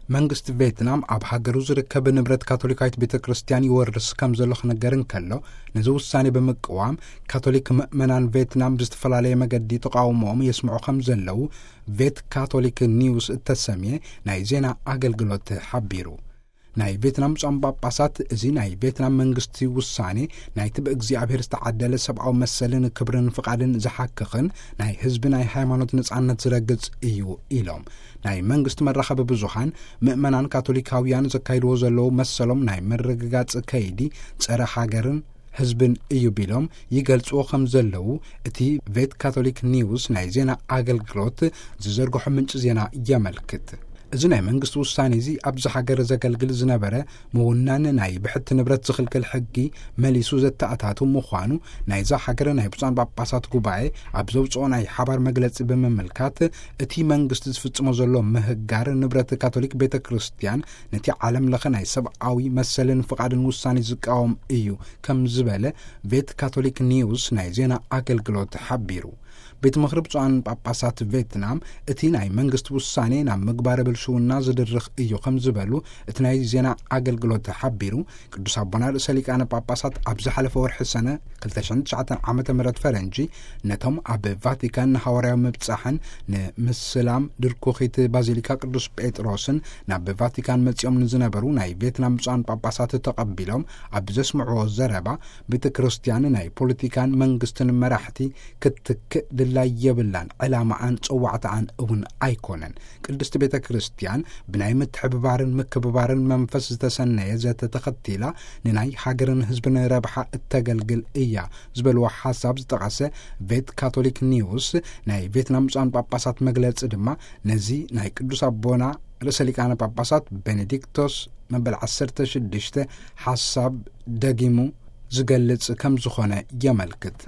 መንግስቲ ቬትናም ኣብ ሃገሩ ዝርከብ ንብረት ካቶሊካዊት ቤተ ክርስቲያን ይወርስ ከም ዘሎ ክነገር እንከሎ፣ ነዚ ውሳኔ ብምቅዋም፣ ካቶሊክ ምእመናን ቬትናም ብዝተፈላለየ መገዲ ተቃውሞኦም የስምዑ ከም ዘለዉ ቬት ካቶሊክ ኒውስ እተሰምየ ናይ ዜና ኣገልግሎት ሓቢሩ። ናይ ቬትናም ብፁዓን ጳጳሳት፣ እዚ ናይ ቬትናም መንግስቲ ውሳኔ፣ ናይቲ ብእግዚኣብሔር ዝተዓደለ ሰብኣዊ መሰልን ክብርን ፍቓድን ዝሓክኽን፣ ናይ ህዝቢ ናይ ሃይማኖት ነጻነት ዝረግጽ እዩ ኢሎም። ናይ መንግስቲ መራኸቢ ብዙሃን፣ ምእመናን ካቶሊካውያን ዘካይድዎ ዘለዉ መሰሎም ናይ ምርግጋጽ ከይዲ፣ ጸረ ሃገርን ህዝብን እዩ ቢሎም ይገልጽዎ ከም ዘለዉ፣ እቲ ቬት ካቶሊክ ኒውስ ናይ ዜና ኣገልግሎት ዝዘርግሖ ምንጪ ዜና የመልክት። እዚ ናይ መንግስቲ ውሳኔ እዚ ኣብዚ ሃገር ዘገልግል ዝነበረ ምውናን ናይ ብሕቲ ንብረት ዝኽልክል ሕጊ መሊሱ ዘተኣታቱ ምዃኑ ናይዛ ሃገር ናይ ብፁዓን ጳጳሳት ጉባኤ ኣብ ዘውፅኦ ናይ ሓባር መግለጺ ብምምልካት፣ እቲ መንግስቲ ዝፍጽሞ ዘሎ ምህጋር ንብረት ካቶሊክ ቤተ ክርስቲያን ነቲ ዓለም ለኸ ናይ ሰብኣዊ መሰልን ፍቓድን ውሳኔ ዝቃወም እዩ ከም ዝበለ ቬት ካቶሊክ ኒውስ ናይ ዜና ኣገልግሎት ሓቢሩ። ቤት ምኽሪ ብፁዓን ጳጳሳት ቬትናም፣ እቲ ናይ መንግስቲ ውሳኔ ናብ ምግባረ ብልሽውና ዝድርኽ እዩ ከም ዝበሉ እቲ ናይ ዜና ኣገልግሎት ሓቢሩ። ቅዱስ ኣቦና ርእሰ ሊቃነ ጳጳሳት ኣብ ዝሓለፈ ወርሒ ሰነ ክልተ ሽሕን ትሽዓተን ዓመተ ምህረት ፈረንጂ፣ ነቶም ኣብ ቫቲካን ንሃዋርያዊ ምብጻሕን ንምስላም ድርኩኺት ባዚሊካ ቅዱስ ጴጥሮስን ናብ ቫቲካን መጺኦም ንዝነበሩ ናይ ቬትናም ብፁዓን ጳጳሳት ተቐቢሎም ኣብ ዘስምዕዎ ዘረባ፣ ቤተ ክርስቲያን ናይ ፖለቲካን መንግስትን መራሕቲ ክትክእ ድላይ የብላን፣ ዕላማኣን ጽዋዕታኣን እውን ኣይኮነን። ቅድስቲ ቤተ ክርስቲያን ብናይ ምትሕብባርን ምክብባርን መንፈስ ዝተሰነየ ዘተ ተኸቲላ ንናይ ሃገርን ህዝብን ረብሓ እተገልግል እያ ዝበልዎ ሓሳብ ዝጠቐሰ ቬት ካቶሊክ ኒውስ፣ ናይ ቬትናም ብፁዓን ጳጳሳት መግለጺ ድማ ነዚ ናይ ቅዱስ ኣቦና ርእሰ ሊቃነ ጳጳሳት ቤኔዲክቶስ መበል ዓሰርተ ሽዱሽተ ሓሳብ ደጊሙ ዝገልጽ ከም ዝኾነ የመልክት።